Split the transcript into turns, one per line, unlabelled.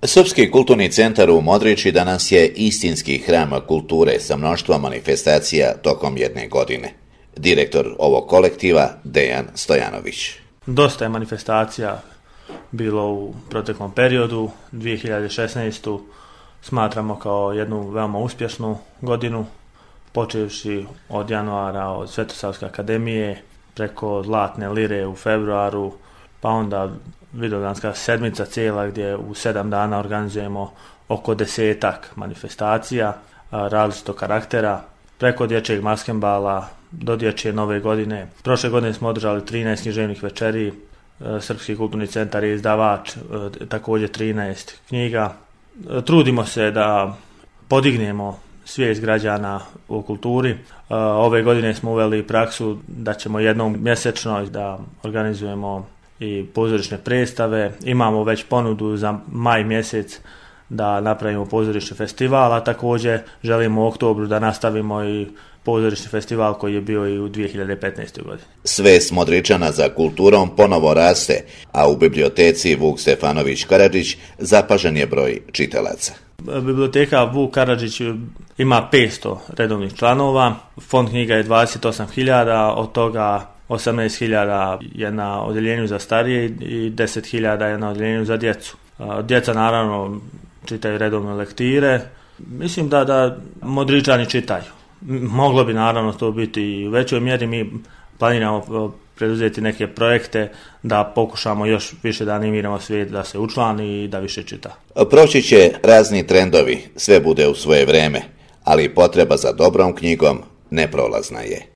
Srpski kulturni centar u Modriči danas je istinski hram kulture sa mnoštvom manifestacija tokom jedne godine. Direktor ovog kolektiva Dejan Stojanović.
Dosta je manifestacija bilo u proteklom periodu. 2016. smatramo kao jednu veoma uspješnu godinu, počevši od januara od Svetosavske akademije, preko Zlatne lire u februaru, pa onda Vidovdanska sedmica cijela gdje u 7 dana organizujemo oko 10 manifestacija različitog karaktera, preko dječjeg maskembala do dječje nove godine. Prošle godine smo održali 13 književnih večeri, Srpski kulturni centar je izdavač također 13 knjiga. Trudimo se da podignemo svijest građana u kulturi. Ove godine smo uveli praksu da ćemo jednom mjesečno da organizujemo i pozorišne predstave. Imamo već ponudu za maj mjesec da napravimo pozorišni festival, a također želimo u oktobru da nastavimo i pozorišni festival koji je bio i u 2015. godini.
Svest Modričana za kulturom ponovo raste, a u biblioteci Vuk Stefanović Karadžić zapažen je broj čitalaca.
Biblioteka Vuk Karadžić ima 500 redovnih članova, fond knjiga je 28.000, od toga 18.000 je na odjeljenju za starije i 10.000 je na odjeljenju za djecu. Djeca naravno čitaju redovne lektire. Mislim da Modričani čitaju. Moglo bi naravno to biti i u većoj mjeri. Mi planiramo preduzeti neke projekte da pokušamo još više da animiramo svijet da se učlani i da više čita.
Proći će razni trendovi, sve bude u svoje vrijeme, ali potreba za dobrom knjigom neprolazna je.